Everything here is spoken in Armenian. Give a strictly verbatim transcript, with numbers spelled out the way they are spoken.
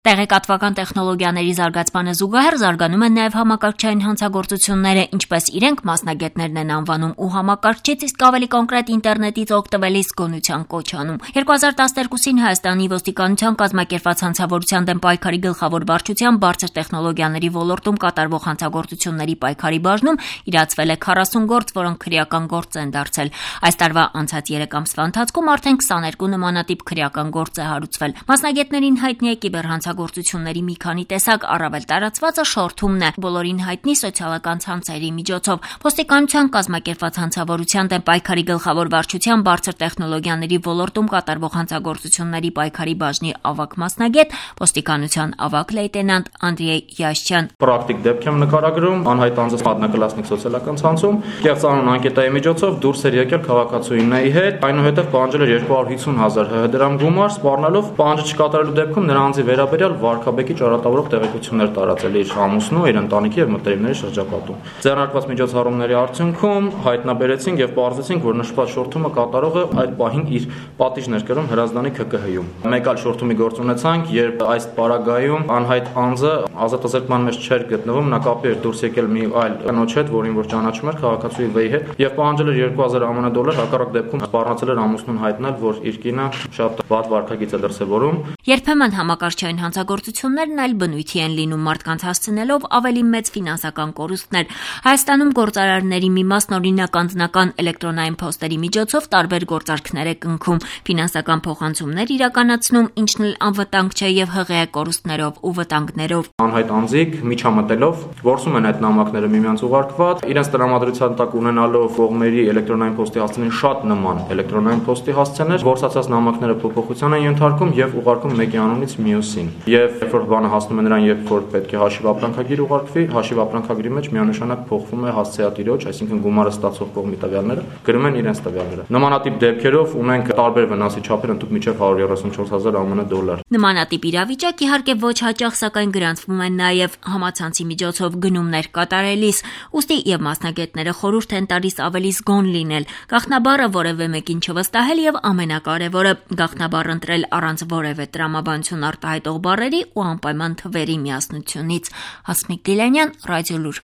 Տեղեկատվական տեխնոլոգիաների զարգացմանը զուգահեռ զարգանում են նաև համակարգչային հանցագործությունները, ինչպես իրենք մասնագետներն են անվանում ու համակարգչից իսկ ավելի կոնկրետ ինտերնետից օգտվելիս գոնության կոչ անում։ երկու հազար տասներկուսին Հայաստանի ոստիկանության կազմակերպված հանցավորության դեմ պայքարի գլխավոր վարչության բարձր տեխնոլոգիաների ոլորտում կատարվող հանցագործությունների պայքարի բաժնում իրացվել է քառասուն գործ, որոնք քրեական գործ են դարձել։ Այս տարվա անցած երեք ամսվա ընթացքում արդեն քսաներկու նմանատիպ քրեական գործ է հարուցվել։ Մասնագետներին հայտնի է կիբերհանցագործությունների մի քանի տեսակ, առավել տարածվածը շորթումն է, բոլորին հայտնի սոցիալական ցանցերի միջոցով։ Ոստիկանության կազմակերպված հանցավորության դեմ պայքարի գլխավոր վարչության բարձր տեխնոլոգիաների ոլորտում կատարվող հանցագործությունների պայքարի բաժնի ավագ մասնագետ, ոստիկանության ավագ լեյտենանտ Անդրեյ Յաշչյան։ Պրակտիկ դեպք եմ նկարագրում, անհայտ անձը մատնակլասնիկ սոցիալական ցանցում կեղծանուն անկետայի միջոցով դուրս էր եկել քաղաքացուինների հետ, այնուհետև պահանջել էր երկու հարյուր հիսուն հազար ՀՀ դրամ գումար, սպառնալով պահանջը չկատարելու դեպքում նրա անձի վերաբերյալ վարքաբեկի ճարատավորող տեղեկություններ տարածել իր ամուսնու, իր ընտանիքի եւ մտերիմների շրջապատում։ Ձեռնարկված միջոցառումների արդյունքում հայտնաբերեցինք եւ պարզեցինք, որ նշված շորթումը կատարողը այդ պահին իր պատիժն էր կրում Հրազդանի K K H-ում։ Մեկ այլ շորթումի գործ ունեցանք, երբ այս պարագայում անհայտ անձը ազատազրկման մեջ չէր գտնվում, նա կապի էր դուրս եկել մի այլ կնոջ հետ, որին որ ճանաչում էր քաղաքացուի վեի հետ, եւ պահանջել էր երկու հազար ԱՄՆ դոլար, հակառակ դեպքում սպառնացել էր ամուսնուն հայտնել, որ իր կինը շատ վատ վարքագիծ է դրսևորում։ Երբեմն համակարգչային հանցագործություններն այլ բնույթի են լինում, մարդկանց հասցնելով ավելի մեծ ֆինանսական կորուստներ։ Հայաստանում գործարարների մի մասն օրինակ անձնական էլեկտրոնային փոստերի միջոցով տարբեր գործարքներ է կնքում, ֆինանսական փոխանցումներ իրականացնում, ինչն էլ անվտանգ չէ եւ հղի է կորուստներով ու վտանգներով։ Անհայտ անձիկ միջամտելով գործում են այդ նամակները միմյանց ուղարկված, իրենց տրամադրության տակ ունենալով կողմերի էլեկտրոնային փոստի հասցեին շատ նման էլեկտրոնային փոստի հասցեներ, գործածած նամակները փոփոխության են ենթարկում եւ ուղարկում մեկի անունից մյուսին։ Եվ երբ որ բանը հասնում է նրան, երբ որ պետք է հաշիվ ապրանքագիր ուղարկվի, հաշիվ ապրանքագրի մեջ միանշանակ փոխվում է հասցեատիրոջ, այսինքն գումարը ստացող կողմի տվյալները, գրում են իրենց տվյալները։ Նմանատիպ դեպքերով ունենք տարբեր վնասի չափեր, ընդհանուր միջև հարյուր երեսունչորս հազար ԱՄՆ դոլար։ Նմանատիպ իրավիճակ իհարկե ոչ հաճախ, սակայն գրանցվում են նաև համացանցի միջոցով գնումներ կատարելիս, ուստի եւ մասնագետները խորհուրդ են տալիս ավելի զգոն լինել, գաղտնաբառը որևէ մեկին չվստահել եւ ամենակարևորը գաղտնաբառ ընտրել առանց որևէ տրամաբանություն արտահայտող բառերի ու անպայման թվերի միասնությունից։ Հասմիկ Դիլանյան, Ռադիոլուր։